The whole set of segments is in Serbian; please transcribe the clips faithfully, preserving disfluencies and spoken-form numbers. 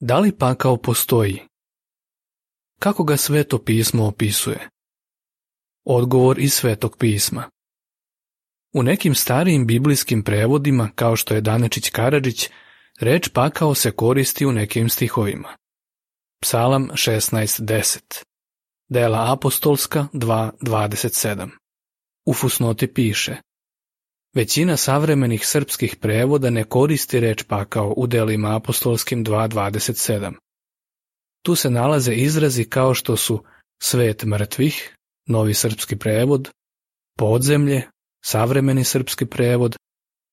Da li pakao postoji? Kako ga Sveto pismo opisuje? Odgovor iz Svetog pisma. U nekim starijim biblijskim prevodima, kao što je Danečić Karadžić, reč pakao se koristi u nekim stihovima. Psalam šesnaest deset. Dela apostolska dva dvadeset sedam. U fusnoti piše: većina savremenih srpskih prevoda ne koristi reč pakao u delima apostolskim dva dvadeset sedam. Tu se nalaze izrazi kao što su svet mrtvih, novi srpski prevod, podzemlje, savremeni srpski prevod,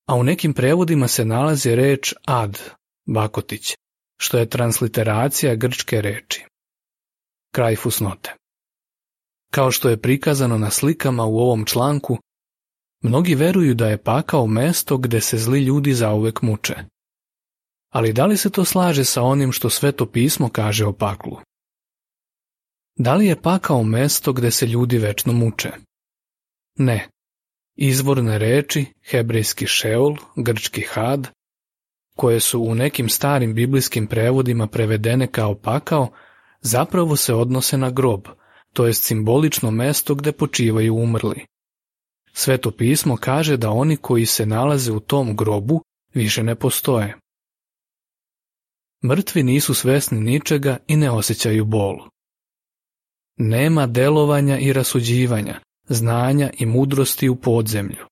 a u nekim prevodima se nalazi reč ad, bakotić, što je transliteracija grčke reči. Kraj fusnote. Kao što je prikazano na slikama u ovom članku, mnogi veruju da je pakao mesto gde se zli ljudi zauvek muče. Ali da li se to slaže sa onim što Sveto pismo kaže o paklu? Da li je pakao mesto gde se ljudi večno muče? Ne. Izvorne reči, hebrejski šeol, grčki had, koje su u nekim starim biblijskim prevodima prevedene kao pakao, zapravo se odnose na grob, to jest simbolično mesto gde počivaju umrli. Sveto pismo kaže da oni koji se nalaze u tom grobu više ne postoje. Mrtvi nisu svesni ničega i ne osjećaju bol. Nema delovanja i rasuđivanja, znanja i mudrosti u podzemlju.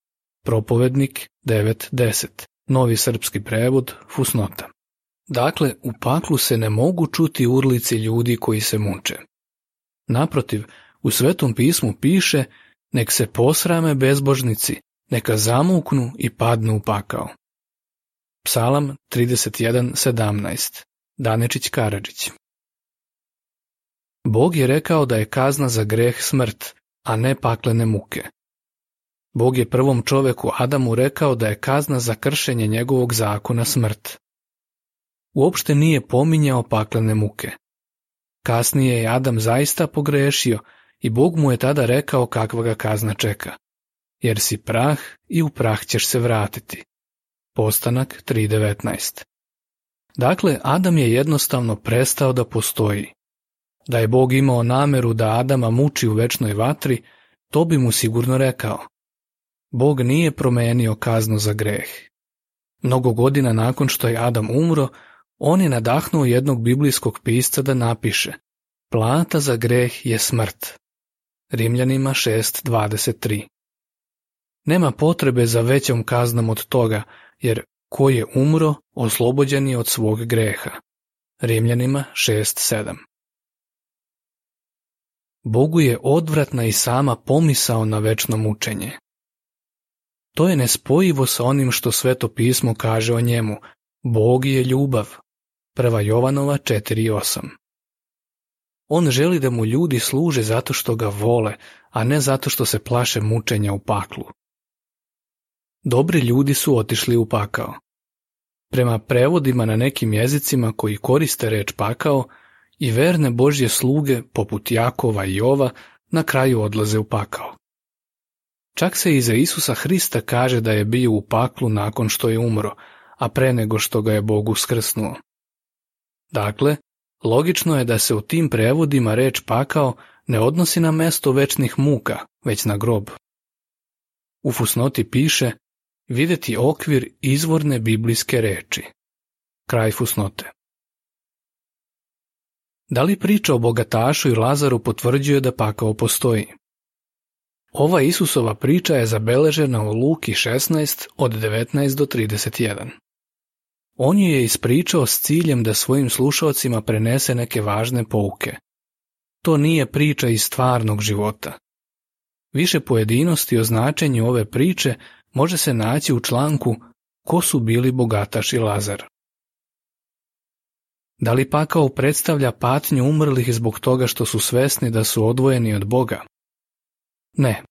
Propovednik devet deset. Novi srpski prevod, fusnota. Dakle, u paklu se ne mogu čuti urlici ljudi koji se muče. Naprotiv, u Svetom pismu piše: nek se posrame bezbožnici, neka zamuknu i padnu u pakao. Psalam trideset jedan sedamnaest. Danečić Karadžić. Bog je rekao da je kazna za greh smrt, a ne paklene muke. Bog je prvom čoveku Adamu rekao da je kazna za kršenje njegovog zakona smrt. Uopšte nije pominjao paklene muke. Kasnije je Adam zaista pogrešio i Bog mu je tada rekao kakva ga kazna čeka. Jer si prah i u prah ćeš se vratiti. Postanak tri devetnaest. Dakle, Adam je jednostavno prestao da postoji. Da je Bog imao nameru da Adama muči u večnoj vatri, to bi mu sigurno rekao. Bog nije promenio kaznu za greh. Mnogo godina nakon što je Adam umro, on je nadahnuo jednog biblijskog pisca da napiše: plata za greh je smrt. Rimljanima šest dvadeset tri. Nema potrebe za većom kaznom od toga, jer ko je umro, oslobođen je od svog greha. Rimljanima šest sedam. Bogu je odvratna i sama pomisao na večno mučenje. To je nespojivo sa onim što Sveto pismo kaže o njemu: Bog je ljubav. Prva Jovanova četiri osam. On želi da mu ljudi služe zato što ga vole, a ne zato što se plaše mučenja u paklu. Dobri ljudi su otišli u pakao. Prema prevodima na nekim jezicima koji koriste reč pakao, i verne Božje sluge, poput Jakova i Jova, na kraju odlaze u pakao. Čak se i za Isusa Hrista kaže da je bio u paklu nakon što je umro, a pre nego što ga je Bog uskrsnuo. Dakle, logično je da se u tim prevodima reč pakao ne odnosi na mesto večnih muka, već na grob. U fusnoti piše: videti okvir izvorne biblijske reči. Kraj fusnote. Da li priča o bogatašu i Lazaru potvrđuje da pakao postoji? Ova Isusova priča je zabeležena u Luki šesnaest od devetnaest do trideset jedan. On ju je ispričao s ciljem da svojim slušaocima prenese neke važne pouke. To nije priča iz stvarnog života. Više pojedinosti o značenju ove priče može se naći u članku Ko su bili bogataš i Lazar. Da li pakao predstavlja patnju umrlih zbog toga što su svesni da su odvojeni od Boga? Ne.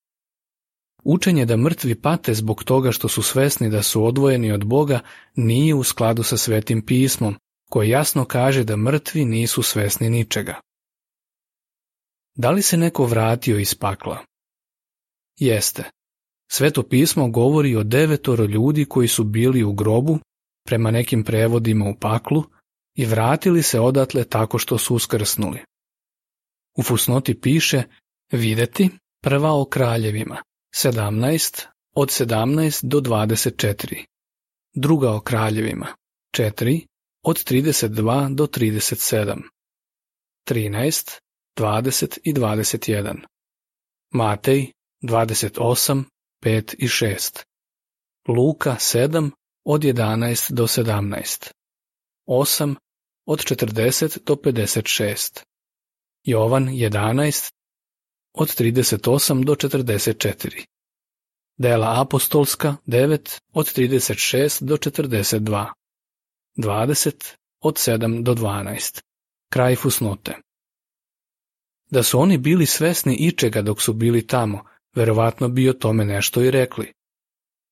Učenje da mrtvi pate zbog toga što su svesni da su odvojeni od Boga nije u skladu sa Svetim pismom, koje jasno kaže da mrtvi nisu svesni ničega. Da li se neko vratio iz pakla? Jeste. Sveto pismo govori o devetoro ljudi koji su bili u grobu, prema nekim prevodima u paklu, i vratili se odatle tako što su uskrsnuli. U fusnoti piše videti prva o kraljevima, sedamnaest, od sedamnaest do dvadeset četiri, druga o kraljevima, četiri, od trideset dva do trideset sedam, trinaest, dvadeset i dvadeset jedan, Matej dvadeset osam, pet i šest, Luka sedam, od jedanaest do sedamnaest, osam, od četrdeset do pedeset šest, Jovan jedanaest, od trideset osam do četrdeset četiri, Dela apostolska devet, od trideset šest do četrdeset dva, dvadeset, od sedam do dvanaest. Kraj fusnote. Da su oni bili svesni ičega dok su bili tamo, verovatno bi o tome nešto i rekli.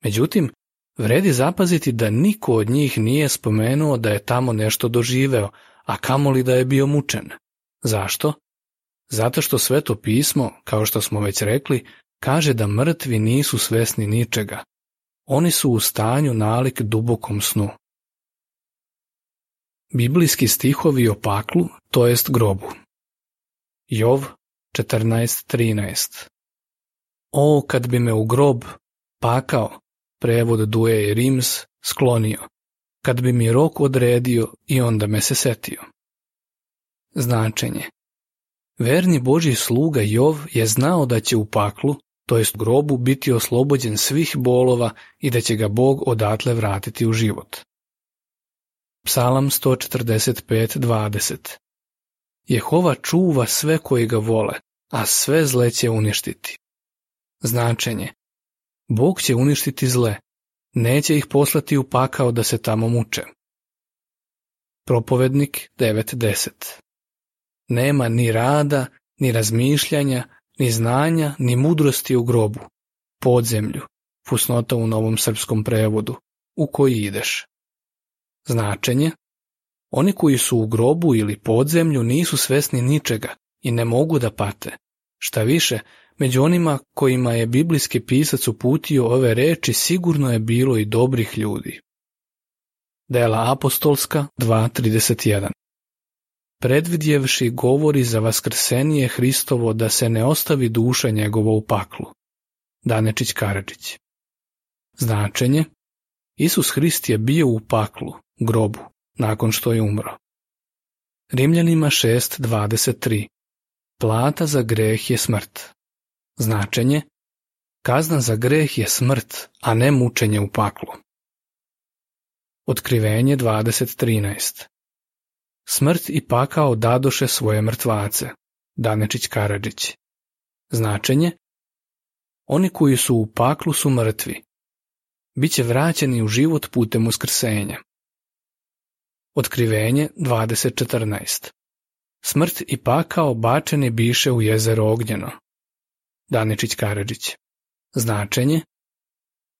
Međutim, vredi zapaziti da niko od njih nije spomenuo da je tamo nešto doživeo, a kamoli da je bio mučen. Zašto? Zato što Sveto pismo, kao što smo već rekli, kaže da mrtvi nisu svesni ničega. Oni su u stanju nalik dubokom snu. Biblijski stihovi o paklu, to jest grobu. Jov četrnaest trinaest. O, kad bi me u grob, pakao, prevod Duje i Rims, sklonio, kad bi mi rok odredio i onda me se setio. Značenje. Verni Božji sluga Jov je znao da će u paklu, to jest grobu, biti oslobođen svih bolova i da će ga Bog odatle vratiti u život. Psalam sto četrdeset pet dvadeset. Jehova čuva sve koji ga vole, a sve zle će uništiti. Značenje. Bog će uništiti zle, neće ih poslati u pakao da se tamo muče. Propovednik devet deset. Nema ni rada, ni razmišljanja, ni znanja, ni mudrosti u grobu, podzemlju, fusnota u Novom srpskom prevodu, u koji ideš. Značenje. Oni koji su u grobu ili podzemlju nisu svesni ničega i ne mogu da pate. Šta više, među onima kojima je biblijski pisac uputio ove reči sigurno je bilo i dobrih ljudi. Dela apostolska dva trideset jedan. Predvidjevši govori za vaskrsenije Hristovo da se ne ostavi duša njegova u paklu. Danečić Karadžić. Značenje. Isus Hrist je bio u paklu, grobu, nakon što je umro. Rimljanima šest dvadeset tri. Plata za greh je smrt. Značenje. Kazna za greh je smrt, a ne mučenje u paklu. Otkrivenje dvadeset trinaest. Smrt i pakao dadoše svoje mrtvace. Danečić Karadžić. Značenje. Oni koji su u paklu su mrtvi. Biće vraćeni u život putem uskrsenja. Otkrivenje dvadeset četrnaest. Smrt i pakao bačeni biše u jezero ognjeno. Danečić Karadžić. Značenje.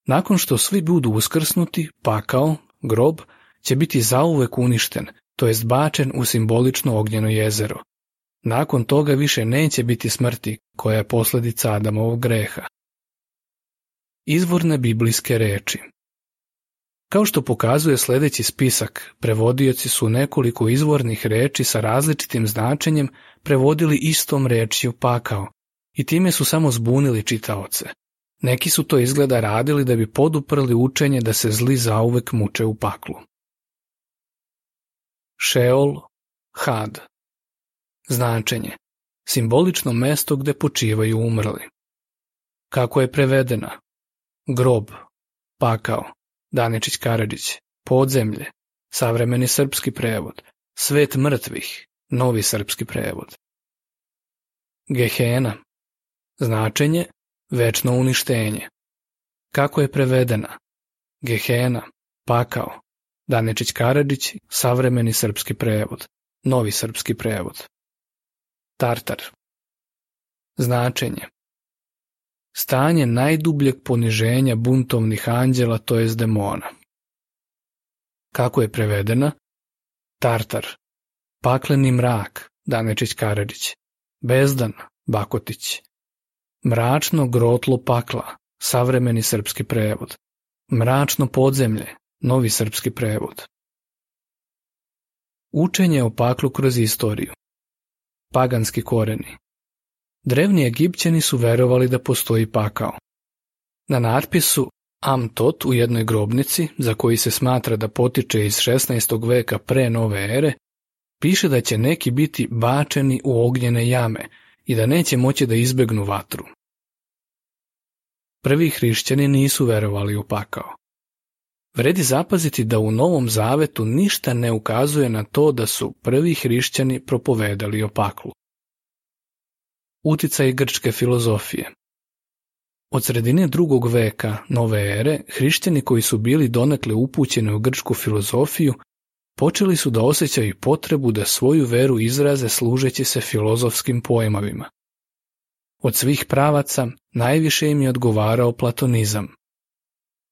Nakon što svi budu uskrsnuti, pakao, grob, će biti zauvek uništen, to jest bačen u simbolično ognjeno jezero. Nakon toga više neće biti smrti, koja je posljedica Adamovog greha. Izvorne biblijske reči. Kao što pokazuje sljedeći spisak, prevodioci su nekoliko izvornih reči sa različitim značenjem prevodili istom rečju pakao i time su samo zbunili čitaoce. Neki su to izgleda radili da bi poduprli učenje da se zli zauvek muče u paklu. Šeol, had. Značenje. Simbolično mesto gde počivaju umrli. Kako je prevedena? Grob, pakao, Danečić Karadžić, podzemlje, savremeni srpski prevod, svet mrtvih, novi srpski prevod. Gehena. Značenje, večno uništenje. Kako je prevedena? Gehena, pakao, Danečić Karadžić, savremeni srpski prevod, novi srpski prevod. Tartar. Značenje. Stanje najdubljeg poniženja buntovnih anđela, to jest demona. Kako je prevedena? Tartar. Pakleni mrak, Danečić Karadžić. Bezdan, Bakotić. Mračno grotlo pakla, savremeni srpski prevod. Mračno podzemlje, novi srpski prevod. Učenje o paklu kroz istoriju. Paganski koreni. Drevni Egipćani su verovali da postoji pakao. Na natpisu Am Tot u jednoj grobnici, za koji se smatra da potiče iz šesnaestog veka pre nove ere, piše da će neki biti bačeni u ognjene jame i da neće moći da izbegnu vatru. Prvi hrišćani nisu verovali u pakao. Vredi zapaziti da u Novom Zavetu ništa ne ukazuje na to da su prvi hrišćani propovedali o paklu. Uticaj grčke filozofije. Od sredine drugog veka nove ere, hrišćani koji su bili donekle upućeni u grčku filozofiju, počeli su da osjećaju potrebu da svoju veru izraze služeći se filozofskim pojmovima. Od svih pravaca najviše im je odgovarao platonizam.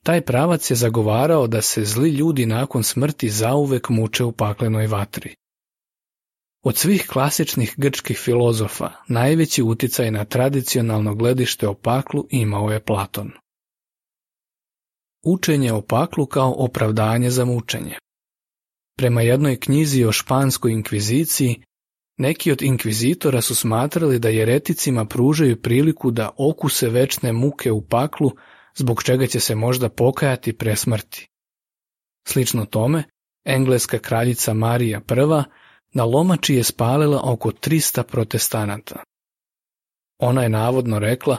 Taj pravac je zagovarao da se zli ljudi nakon smrti zauvek muče u paklenoj vatri. Od svih klasičnih grčkih filozofa najveći uticaj na tradicionalno gledište o paklu imao je Platon. Učenje o paklu kao opravdanje za mučenje. Prema jednoj knjizi o španskoj inkviziciji, neki od inkvizitora su smatrali da jereticima pružaju priliku da okuse večne muke u paklu, zbog čega će se možda pokajati pre smrti. Slično tome, engleska kraljica Marija I na lomači je spalila oko trista protestanata. Ona je navodno rekla,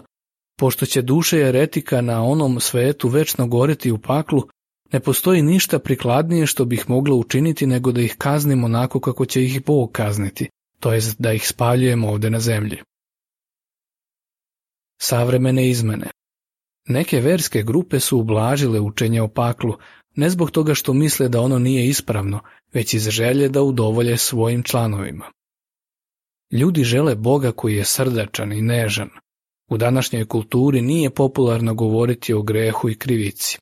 pošto će duše jeretika na onom svetu večno goreti u paklu, ne postoji ništa prikladnije što bih mogla učiniti nego da ih kaznim onako kako će ih Bog kazniti, to jest da ih spaljujemo ovde na zemlji. Savremene izmene. Neke verske grupe su ublažile učenje o paklu, ne zbog toga što misle da ono nije ispravno, već iz želje da udovolje svojim članovima. Ljudi žele Boga koji je srdačan i nežan. U današnjoj kulturi nije popularno govoriti o grehu i krivici.